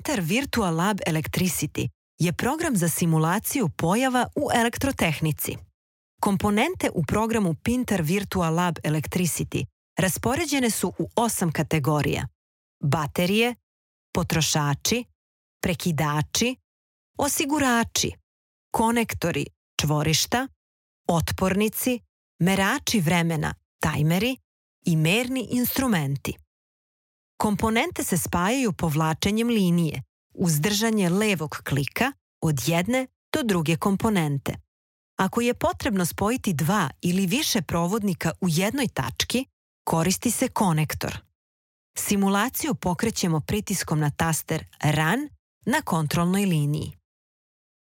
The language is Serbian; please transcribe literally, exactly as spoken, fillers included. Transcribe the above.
Pinter Virtual Lab Electricity je program za simulaciju pojava u elektrotehnici. Komponente u programu Pinter Virtual Lab Electricity raspoređene su u osam kategorija: baterije, potrošači, prekidači, osigurači, konektori, čvorišta, otpornici, merači vremena, tajmeri i merni instrumenti. Komponente se spajaju povlačenjem linije uz držanje levog klika od jedne do druge komponente. Ako je potrebno spojiti dva ili više provodnika u jednoj tački, koristi se konektor. Simulaciju pokrećemo pritiskom na taster Run na kontrolnoj liniji.